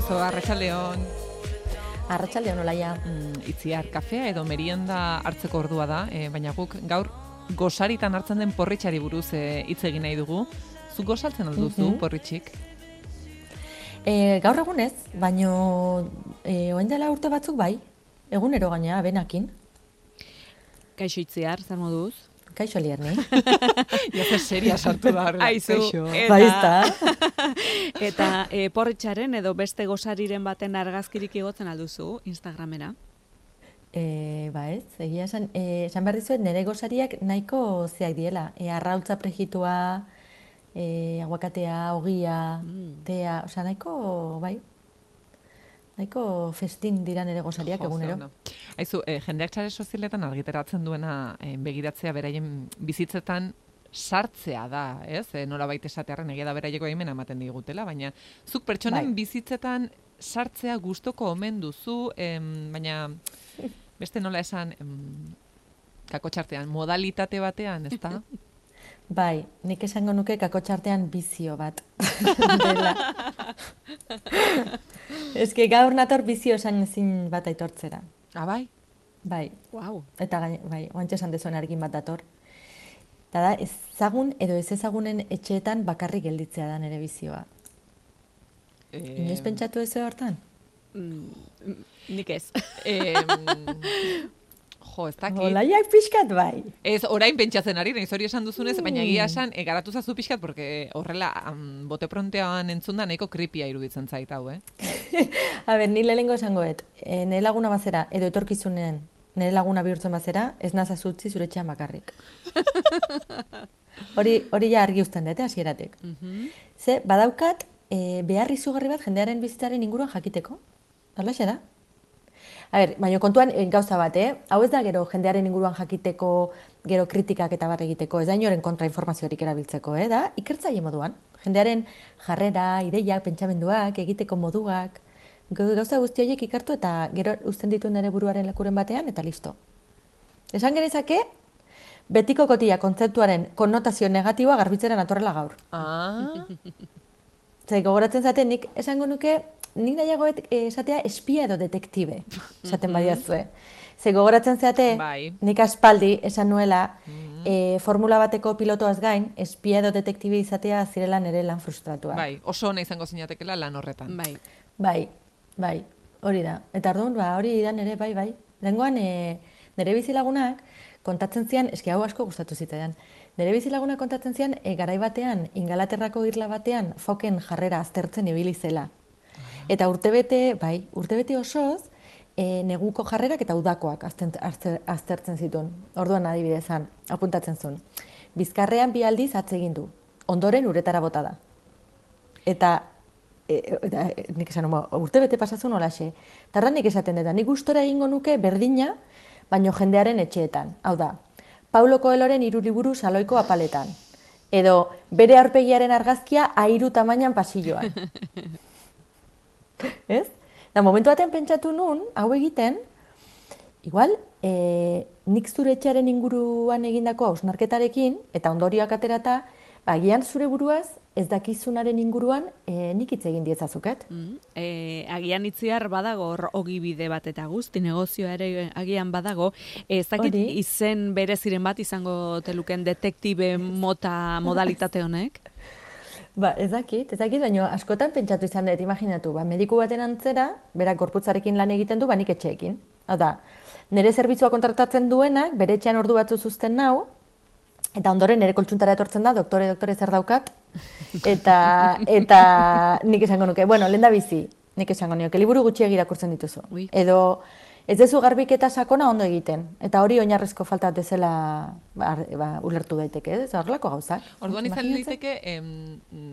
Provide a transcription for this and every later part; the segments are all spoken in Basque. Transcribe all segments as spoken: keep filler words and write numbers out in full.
Kaixo, arratsaldeon. Arratsaldeon Olaia. Mm, itziar, kafea edo merienda hartzeko ordua da, e, baina guk gaur gosaritan hartzen den porritxari buruz e, hitz egin nahi dugu. Zu gosaltzen alduzu, mm -hmm. porritxik? E, gaur egunez, baino e, oen dela urte batzuk bai, egunero gaina, benakin. Kaixo Itziar, zer moduz? Kaixo Lierni. Ja, zer seria sartu da horrela. Aizu, eta, eta e, porritxaren edo beste gosariren baten argazkirik igotzen alduzu Instagramera? E, ba ez, egia esan, e, esan behar dizuet nire gosariak nahiko zeak diela. E, arrautza prejitua, e, aguakatea, ogia, mm. tea, osea nahiko, bai, nahiko festin dira nire gosariak egunero. No. Aizu, eh, jendeak sare sozialetan argiteratzen duena eh, begiratzea beraien bizitzetan sartzea da, ez? E, nolabait esatearren egia da beraieko aimena ematen digutela, baina zuk pertsonen bai. bizitzetan sartzea gustoko omen duzu, em, baina beste nola esan em, kakotxartean, modalitate batean, ez da? Bai, nik esango nuke kakotxartean bizio bat. Dela. Ez que gaur nator bizio esan ezin bat aitortzera. Ah, bai? Bai. Wow. Eta gaine, bai, oantxe esan dezuen argin bat dator. Eta da, ezagun edo ez ezagunen etxeetan bakarrik gelditzea da nere bizioa. E... Inoiz pentsatu ez hortan? Mm, nik ez. E, jo, ez dakit. Olaiak pixkat bai. Ez, orain pentsatzen ari, nahiz hori esan duzunez, mm. baina egia esan, e, garatu zazu pixkat, porque horrela, um, bote prontean entzunda nahiko kripia iruditzen zait hau, eh? A ber, ni lehengo esangoet, e, nire laguna bazera, edo etorkizunen, nire laguna bihurtzen bazera, ez nazaz utzi zure etxean bakarrik. Hori hori ja argi uzten dute hasieratik. Mm -hmm. Ze, badaukat, e, behar izugarri bat jendearen bizitzaren inguruan jakiteko. Horlaxe da? A ber, baina kontuan gauza bat, eh? Hau ez da gero jendearen inguruan jakiteko, gero kritikak eta bar egiteko, ez da inoren kontrainformaziorik erabiltzeko, eh? Da, ikertzaile moduan. Jendearen jarrera, ideiak, pentsamenduak, egiteko moduak, gauza guzti horiek ikertu eta gero uzten ditu nire buruaren lekuren batean eta listo. Esan genezake, betiko kotia kontzeptuaren konnotazio negatiboa garbitzera natorrela gaur. Ah. Zer, gogoratzen zaten, nik esango nuke, nik nahiagoet esatea espia edo detektibe, esaten badiazue. Zer, gogoratzen zeate, bai. nik aspaldi esan nuela, mm-hmm. e, formula bateko pilotoaz gain, espia edo detektibe izatea zirela nire lan frustratua. Bai, oso ona izango zinatekela lan horretan. Bai. Bai, bai, hori da. Eta orduan, ba, hori da nire, bai, bai. Lengoan, e, nire bizilagunak kontatzen zian, eski hau asko gustatu zitzaidan, nire bizilagunak kontatzen zian, e, garai batean, Ingalaterrako irla batean, foken jarrera aztertzen ibili zela. Eta urtebete, bai, urtebete osoz, e, neguko jarrerak eta udakoak azten, azter, aztertzen zituen. Orduan adibidezan, apuntatzen zuen. Bizkarrean bi aldiz atzegin du. Ondoren uretara bota da. Eta, e, eta nik esan, urtebete pasatzen olaxe. Tarra nik esaten dut, nik gustora egingo nuke berdina, baino jendearen etxeetan. Hau da, Paulo Coelhoren hiru liburu saloiko apaletan. Edo, bere aurpegiaren argazkia airu tamainan pasilloan. Ez? Da, momentu batean pentsatu nun, hau egiten, igual, e, nik zure etxearen inguruan egindako hausnarketarekin, eta ondorioak aterata, agian zure buruaz, ez dakizunaren inguruan, e, nik hitz egin dietzazuket. Mm, e, agian Itziar badago ogibide bat eta guzti, negozioa ere agian badago. Ez dakit izen bereziren bat izango teluken detektibe mota modalitate honek? Ba, ez dakit, ez dakit, baina askotan pentsatu izan dut, imaginatu, ba, mediku baten antzera, berak gorputzarekin lan egiten du, ba, nik etxeekin. Hau da, nire zerbitzua kontratatzen duenak, bere etxean ordu batzu zuzten nau, eta ondoren nire koltsuntara etortzen da, doktore, doktore zer daukat, eta, eta nik esango nuke, bueno, lehen da bizi, nik esango nuke, liburu gutxiak irakurtzen dituzu. Ui. Edo, ez dezu garbiketa sakona ondo egiten, eta hori oinarrizko falta dezela ba, ba, ulertu daiteke, ez horrelako gauzak. Orduan izan daiteke em,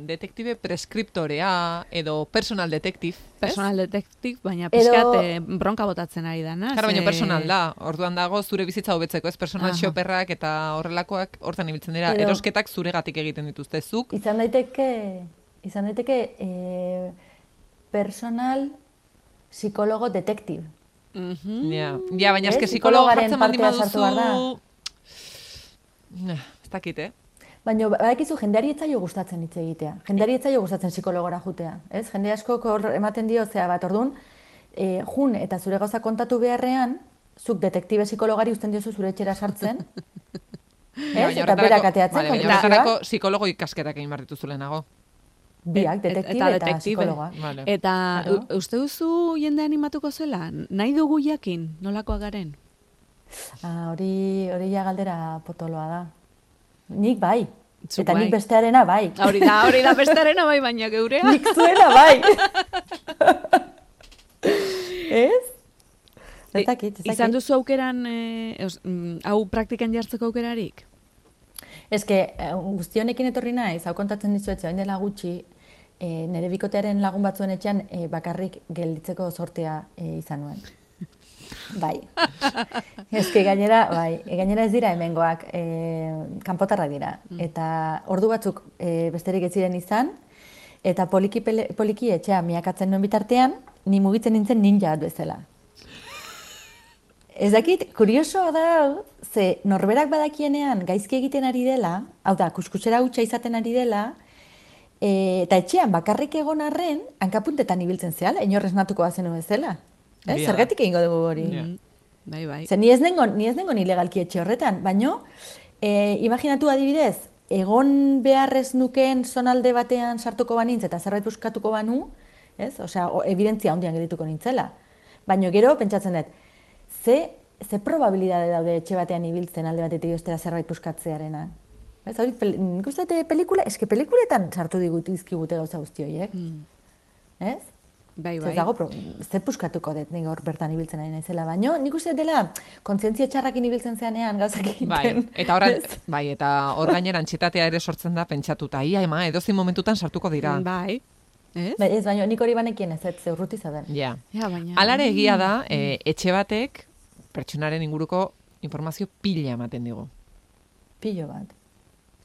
detektibe preskriptorea edo personal detective. Personal detective, baina pixkat edo... bronka botatzen ari dana. Karo, baina personal da, orduan dago zure bizitza hobetzeko, ez personal Aha. shopperrak eta horrelakoak hortan ibiltzen dira, edo... erosketak zuregatik egiten dituzte zuk. Izan daiteke, izan daiteke e, personal psikologo detective. Mm-hmm. Ja, ja, baina eske psikologo jartzen baldin baduzu... Ez dakit, eh? Baina badakizu jendeari etzaio gustatzen hitz egitea. Jendeari etzaio gustatzen psikologora jutea, ez? Jende asko hor ematen dio, zea bat, orduan, e, jun eta zure gauza kontatu beharrean, zuk detektibe psikologari uzten diozu zure etxera sartzen, ez? Eta berak ateatzen kontuzioa. Horretarako psikologo ikasketak egin behar dituzu lehenago. Biak, detektibe eta, eta psikologa. Vale. Eta claro. Uste duzu jende animatuko zela? Nahi dugu jakin, nolakoa garen? Ah, hori, hori ja galdera potoloa da. Nik bai. Zuk eta bai. Nik bestearena bai. Hori da, hori da bestearena bai, baina geurea. Nik zuena bai. Ez? Zetakit, zetakit. Izan duzu aukeran, eh, os, mm, hau praktikan jartzeko aukerarik? Ez que, guzti honekin etorri naiz, hau kontatzen dizuetze, hain dela gutxi, e, nire bikotearen lagun batzuen etxean e, bakarrik gelditzeko sortea e, izan nuen. Bai. Ez que gainera, bai, gainera ez dira hemengoak, e, kanpotarra dira. Eta ordu batzuk e, besterik ez ziren izan, eta poliki, pele, poliki etxea miakatzen nuen bitartean, ni mugitzen nintzen ninja bezala. Ez dakit, kuriosoa da, ze norberak badakienean gaizki egiten ari dela, hau da, kuskusera hutsa izaten ari dela, e, eta etxean bakarrik egon arren, hankapuntetan ibiltzen zehala, inorrez natuko bazenu bezala. Eh? Yeah. Zergatik egingo dugu hori. Yeah. Bai, bai. Ze ni ez nengon, ni ez nengon ilegalki etxe horretan, baino, e, imaginatu adibidez, egon beharrez nukeen zonalde batean sartuko banintz eta zerbait buskatuko banu, ez? Osea, evidentzia handian gerituko nintzela. Baino gero, pentsatzen dut, ze, ze probabilidade daude etxe batean ibiltzen alde batetik ostera zerbait buskatzearena. Ez, hori, nik uste dut pelikula, eske pelikuletan sartu digut izkigute gauza guzti horiek. Mm. Ez? Bai, bai. Ez dago, zer puskatuko dut nik hor bertan ibiltzen ari naizela, baino nik uste dela kontzientzia txarrakin ibiltzen zeanean gauzak egiten. Bai, eta hor, bai, eta hor gainera antxitatea ere sortzen da pentsatuta, ia ema, edozin momentutan sartuko dira. Bai. Ez? Ba, ez, baina nik hori banekien ez, ez urruti zaden. Ja. Ja, baina. Alare egia da, e, etxe batek pertsonaren inguruko informazio pila ematen digu. Pilo bat.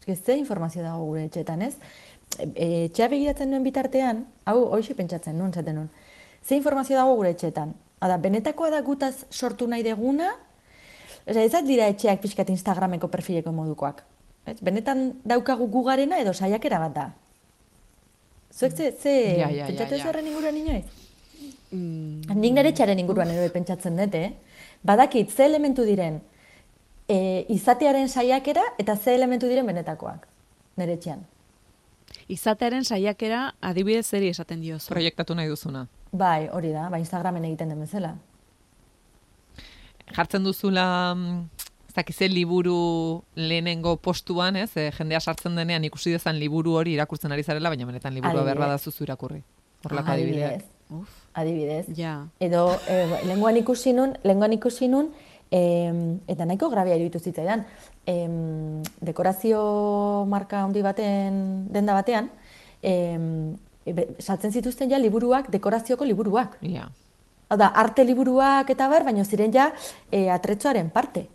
Ez ze informazio dago gure etxetan, ez? E, etxea begiratzen nuen bitartean, hau hoxe pentsatzen nuen, zaten nuen. Ze informazio dago gure etxetan? Hada, benetakoa da gutaz sortu nahi deguna, Osa, ez dira etxeak pixkat Instagrameko perfileko modukoak. Ez? Benetan daukagu gugarena edo saiakera bat da. Zuek ze, ze ja, ja, pentsatu ja, ez ja. horren inguruan inoiz? Mm. Nik nire etxaren inguruan ere pentsatzen dut, eh? Badakit ze elementu diren e, izatearen saiakera eta ze elementu diren benetakoak, nire etxean. Izatearen saiakera adibidez zeri esaten diozu. Proiektatu nahi duzuna. Bai, hori da, bai Instagramen egiten den bezala. Jartzen duzula, ez dakize liburu lehenengo postuan, ez? E, jendea sartzen denean ikusi dezan liburu hori irakurtzen ari zarela, baina benetan liburua behar badazu zu irakurri. Horrelako adibideak. Uf. Adibidez. Ja. Edo, e, lenguan ikusi nun, lenguan ikusi nun, e, eta nahiko grabia iruditu zitzaidan, e, dekorazio marka handi baten, denda batean, e, e, saltzen zituzten ja liburuak, dekorazioko liburuak. Ja. Hau da, arte liburuak eta bar, baina ziren ja e, atretzoaren parte.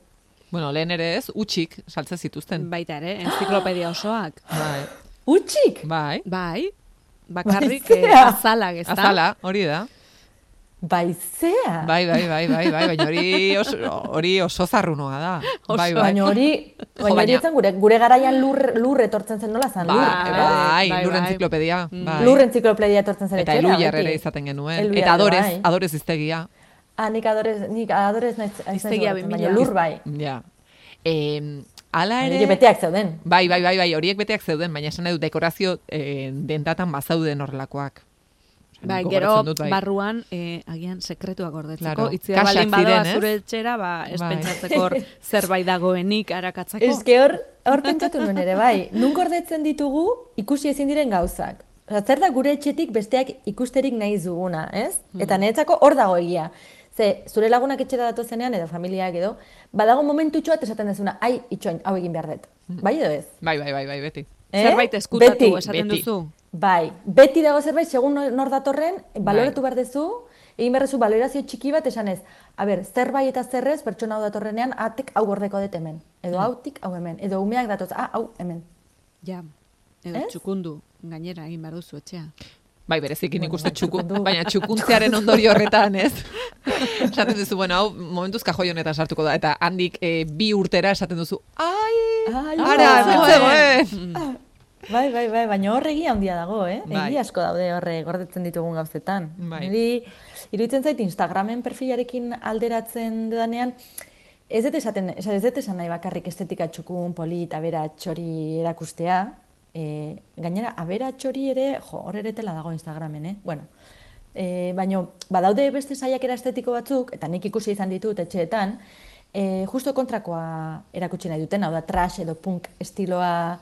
Bueno, lehen ere ez, utxik saltzen zituzten. Baita ere, enziklopedia osoak. Bai. Utxik? Bai. Bai. Bakarrik Bai, eh, azalak, ez da? Azala, hori da. Baizea. Bai, bai, bai, bai, bai, baina hori oso, hori oso zarrunoa da. Oso. Bai, bai. Baina hori, baina hori etzen gure, gure garaian lur, lur etortzen zen nola zen, Bai, lur. bai, bai, bai, lur bai. entziklopedia. Bai. Lur entziklopedia etortzen zen Eta etxera, eluiar beti. ere izaten genuen. Eluiar Eta adorez, bai. adorez iztegia. Ah, nik adorez, nik adorez naiz, naiz Hiztegia gogoratzen, bi baina mila. lur bai. Ja. Eh, ala ere... Horiek beteak zeuden. Bai, bai, bai, bai, horiek beteak zeuden, baina esan nahi dut dekorazio eh, dendatan bazauden horrelakoak. Bai, Nik gero gogoratzen dut, bai. barruan eh, agian sekretuak gordetzeko. Claro, Itziar kaxak baldin badoa ziren, ez? zure etxera, ba, ez Bai. pentsatzeko hor zerbait dagoenik arakatzako. Ez que hor, hor pentsatu nuen ere, bai. Nun gordetzen ditugu ikusi ezin diren gauzak. Osa, zer da gure etxetik besteak ikusterik nahi duguna, ez? Eta niretzako hor dago egia. Ze, zure lagunak etxera datozenean, edo familiak edo, badago momentutxo bat esaten dezuna, ai, itxoin, hau egin behar dut. Bai edo ez? Bai, bai, bai, bai, beti. Eh? Zerbait eskutatu Beti. esaten Beti. duzu. Bai, beti dago zerbait, segun nor datorren, baloratu behar dezu, egin behar dezu balorazio txiki bat esanez, a ber, zerbait eta zerrez, pertsona hau datorrenean, atek hau gordeko dut hemen, edo hautik hau hemen, edo umeak datoz, ah, hau hemen. Ja, edo Ez? txukundu, gainera egin behar duzu etxea. Bai, berezik nik Bueno, uste bai, txukun, txukundu. baina txukuntzearen ondorio horretan, ez? Esaten duzu, bueno, hau momentuz kajoi honetan sartuko da, eta handik e, bi urtera esaten duzu, ai, Ai, ara, bai. zegoen. Bai, bai, bai, baina horregi handia dago, eh? Bai. Egi asko daude horre gordetzen ditugun gauzetan. Bai. Niri, iruditzen zait Instagramen perfilarekin alderatzen dudanean, ez dut esaten, ez dut esan nahi bakarrik estetika txukun, polit, aberats hori erakustea. E, gainera, aberats hori ere, jo, hor ere tela dago Instagramen, eh? Bueno, e, baina, badaude beste saiakera estetiko batzuk, eta nik ikusi izan ditut etxeetan, e, justo kontrakoa erakutsi nahi duten, hau da, trash edo punk estiloa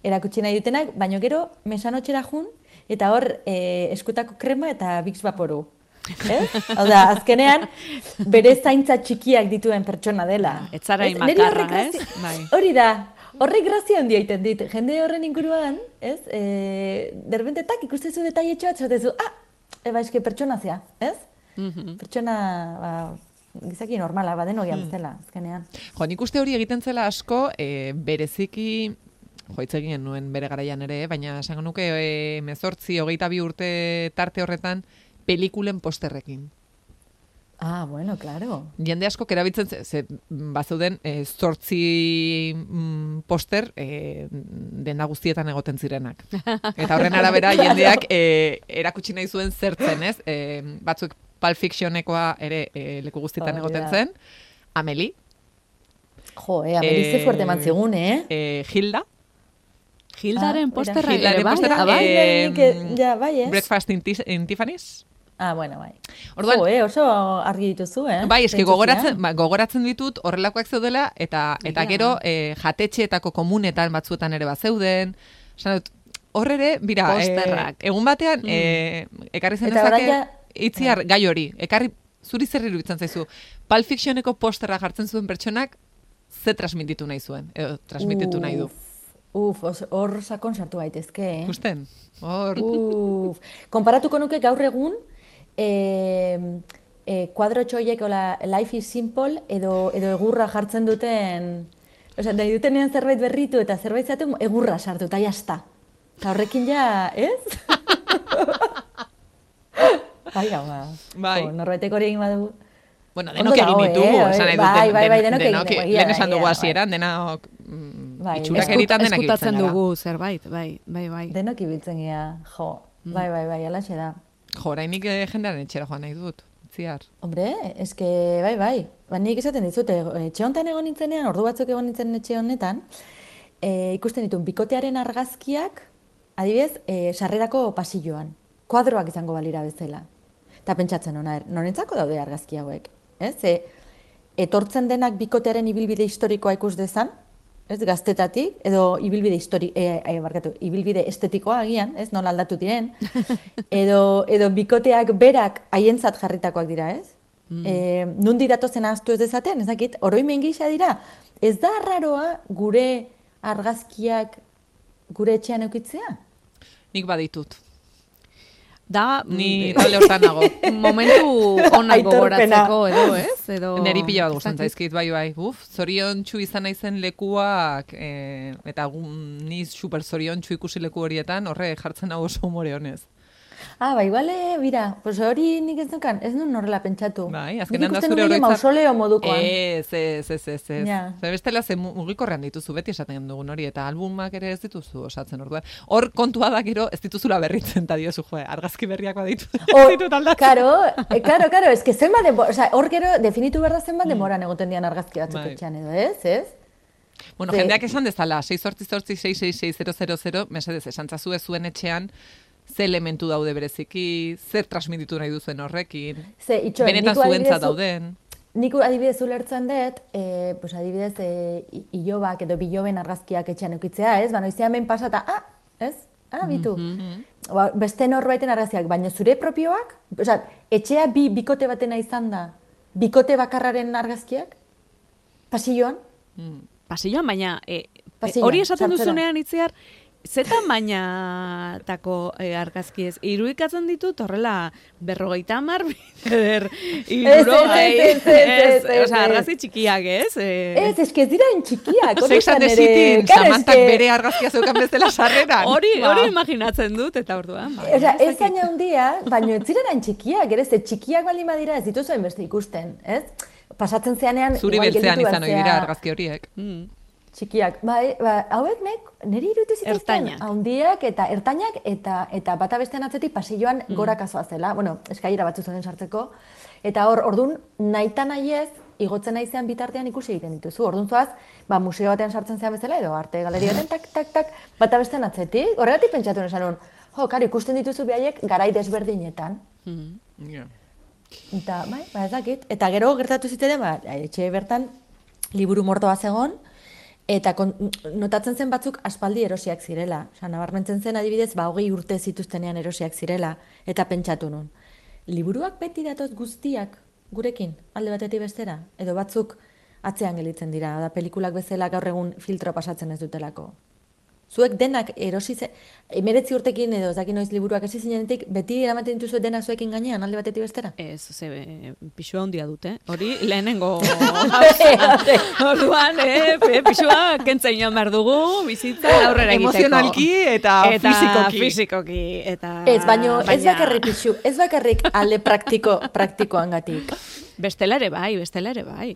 erakutsi nahi dutenak, baina gero mesanotxera jun, eta hor e, eskutako krema eta Vicks Vaporu. Eh? Hau da, azkenean, bere zaintza txikiak dituen pertsona dela. Etzarai makarra, ez? Bai. Hori da, horrek grazia handia egiten dit. Jende horren inguruan, ez? E, derbentetak ikustezu detailetxo bat, zatezu, ah, eba eske pertsona zea, ez? Mm-hmm. Pertsona, ba, gizaki normala, badeno gian bezala, azkenean. Jo, nik uste hori egiten zela asko, e, bereziki, jo, hitz egin nuen bere garaian ere, baina esango nuke e, mezortzi, hogeita bi urte tarte horretan, pelikulen posterrekin. Ah, bueno, claro. Jende asko erabiltzen ze, ze bazuden e, zortzi mm, poster e, denda guztietan egoten zirenak. Eta horren arabera jendeak e, erakutsi nahi zuen zertzen, ez? E, batzuk Pulp Fictionekoa ere e, leku guztietan oh, egoten yeah. zen. Amelie. Jo, eh, Amelie ze fuerte eman zigun, eh? E, Hilda. Hildaren ah, posterra ere bai. Ah, bai, eh, ja, bai, ez? Breakfast in, in Tiffany's. Ah, bueno, bai. Orduan, jo, eh, oso argi dituzu, eh? Bai, eski gogoratzen, ba, gogoratzen ditut horrelakoak zeudela, eta eta ja. Gero eh, jatetxeetako komunetan batzuetan ere bat zeuden. Esan dut, hor ere, bira, eh, egun batean, mm. eh, ekarri zen ezake, ja... itziar gai hori, ekarri zuri zer iruditzen zaizu. Pulp Fictioneko posterra jartzen zuen pertsonak, ze transmititu nahi zuen, edo transmititu nahi du. Uf, hor sakon sartu gaitezke, eh? Justen, hor. Uf, konparatuko nuke gaur egun, eh, eh, kuadro txoiek, ola, life is simple, edo, edo egurra jartzen duten, osea, nahi dutenean zerbait berritu eta zerbait zatu, egurra sartu, eta jazta. Eta horrekin ja, ez? Bai, hau, bai. Norbaitek hori egin badu. Bueno, denok egin ditugu, esan nahi dut. Bai, bai, bai, denok egin ditugu. Lehen esan dugu hasieran, denok itxurak eritan denak ibiltzen gara. Eskutatzen dugu zerbait, bai, bai, bai. Denok ibiltzen gara, jo. Bai, bai, bai, alaxe da. Jo, orainik jendearen etxera joan nahi dut, ziar. Hombre, eske, bai, bai. Ba, nik esaten dizute, etxe honetan egon nintzenean, ordu batzuk egon nintzen etxe honetan, ikusten ditun, bikotearen argazkiak, adibidez, sarrerako pasilloan. Kuadroak izango balira bezala. Eta pentsatzen hona, norentzako daude argazki hauek? Ez? E, etortzen denak bikotearen ibilbide historikoa ikus dezan, ez, gaztetatik, edo ibilbide histori, e, e, barkatu, ibilbide estetikoa agian, ez, nola aldatu diren, edo, edo bikoteak berak haientzat jarritakoak dira, ez? Mm. E, nundi datozen ahaztu ez dezaten, ez dakit, oroimen gisa dira, ez da arraroa gure argazkiak gure etxean eukitzea? Nik baditut. Da, ni talde hortan nago. Momentu onak gogoratzeko, edo, ez? Edo... Neri pila bat gustatzen zaizkit, bai, bai. Uf, zorion txu izan naizen lekuak, e, eta ni super zorion txu ikusi leku horietan, horre jartzen hau oso humore honez. Ah, ba, igual, bira, pues hori nik ez dukan, ez duen horrela pentsatu. Bai, azkenean da zure horretzat. Mausoleo modukoan. Ez, ez, ez, ez, ez. Ja. Zer bestela, ze mugikorrean dituzu, beti esaten dugun hori, eta albumak ere ez dituzu osatzen orduan. Hor kontua da gero, ez dituzula berritzen, eta diozu, jo, argazki berriak baditu. Oh, karo, karo, karo, ez que zenba denbora, oza, hor gero, definitu behar da zenba demoran egoten dian argazki batzuk etxean edo, ez, ez? Bueno, jendeak esan dezala, sei zortzi zortzi sei sei sei zero zero zero, mesedez, esantzazu ez zuen etxean, ze elementu daude bereziki, zer transmititu nahi duzen horrekin, ze, itxo, benetan zuentzat dauden. Nik adibidez ulertzen dut, e, pues adibidez, e, ilobak edo biloben argazkiak etxean eukitzea, ez? Ba, noizean behin pasata, ah, ez? Ah, bitu. Mm-hmm. Ba, beste norbaiten argazkiak, baina zure propioak, oza, etxea bi bikote batena izan da, bikote bakarraren argazkiak, pasilloan? Mm. Pasilloan, baina e, hori esaten duzunean itziar, zetan bainatako e, argazki ez? Irudikatzen ditut horrela berrogeita hamar bider iruro gai. Osa, argazki txikiak ez? Ez, ez que ez dira txikiak. Sex and the City, Samantak bere argazkia zeukan bezala sarreran. Hori hori imaginatzen dut, eta orduan. Osa, ez zaina handia, baina ez ziren txikiak, ere, ze txikiak baldin badira ez dituzu hainbeste ikusten, ez? Pasatzen zeanean... Zuri beltzean izan hori dira argazki horiek. Mm. Txikiak, bai, ba, hauek nek, niri irutu zituzten, haundiak eta ertainak, eta eta bata bestean atzetik pasilloan mm. gorakazoa zela, bueno, eskailera batzu zuen sartzeko, eta hor, ordun nahita nahiez, igotzen naizean bitartean ikusi egiten dituzu. Orduan zoaz, ba, museo batean sartzen zean bezala, edo arte galeria batean, tak, tak, tak, bata bestean atzetik, horregatik pentsatu nesan hon, jo, karo, ikusten dituzu behaiek garai desberdinetan. Mm. Yeah. Eta, bai, ba, ez dakit. Eta gero gertatu zitzaidan, ba, etxe bertan liburu mordoa zegon, eta kon, notatzen zen batzuk aspaldi erosiak zirela. Osa, nabarmentzen zen adibidez, ba, hogei urte zituztenean erosiak zirela, eta pentsatu nun. Liburuak beti datoz guztiak gurekin, alde batetik bestera, edo batzuk atzean gelitzen dira, da pelikulak bezala gaur egun filtro pasatzen ez dutelako. Zuek denak erosi ze, emeretzi urtekin edo ez dakit noiz liburuak esi zinenetik, beti eramaten dituzu denak zuekin gainean, alde batetik bestera? Ez, ze, pixua handia dute, hori lehenengo orduan, eh, pixua kentzen joan behar dugu, bizitza aurrera egiteko. Emozionalki eta, eta fisikoki. fisikoki. Eta, ez, baino, baina... ez bakarrik pixu, ez bakarrik alde praktiko, praktikoangatik. Bestela ere bai, bestela ere bai.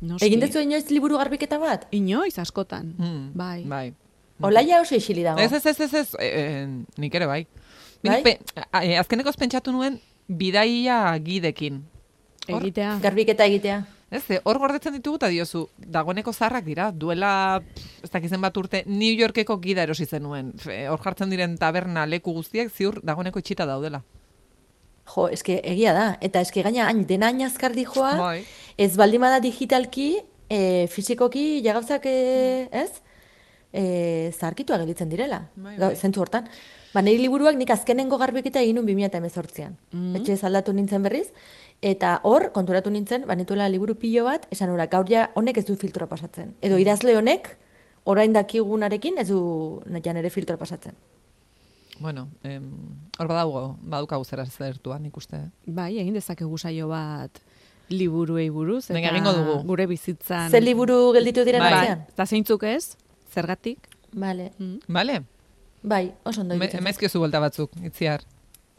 Noski. Egin dezu inoiz liburu garbiketa bat? Inoiz, askotan, hmm, bai. Bai. Olaia oso isili dago. Ez, ez, ez, ez, ez, e, nik ere bai. Bai? Pe, azkenekoz pentsatu nuen bidaia gidekin. Hor, egitea. Garbiketa egitea. Ez, hor gordetzen ditugu eta diozu, dagoeneko zarrak dira, duela, ez dakizen bat urte, New Yorkeko gida erosi zenuen. Hor jartzen diren taberna leku guztiak ziur dagoeneko itxita daudela. Jo, eske egia da. Eta eske gaina hain dena hain azkardi joa, bai. Ez baldimada digitalki, e, fizikoki, jagauzak, e, ez? E, zaharkitua gelitzen direla, bai, bai. Zentzu hortan. Ba, niri liburuak nik azkenengo garbiketa egin nun bi mila hemezortzian. Mm-hmm. Etxe aldatu nintzen berriz, eta hor, konturatu nintzen, ba, nituela liburu pilo bat, esan ura, gaur ja honek ez du filtroa pasatzen. Edo idazle honek, orain dakigunarekin ez du jan ere filtroa pasatzen. Bueno, em, hor badago, badukagu zera zertuan ikuste. Bai, egin dezakegu saio bat liburuei buruz, eta egingo dugu. Gure bizitzan. Zer liburu gelditu diren bai. atzean? Eta zeintzuk ez? Zergatik? Vale. Mm. Vale. Bai, oso ondo egiten. Emezkiozu buelta batzuk, itziar.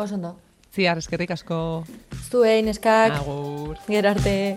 Oso ondo. Ziar, eskerrik asko. Zuei, neskak. Agur. Gero arte.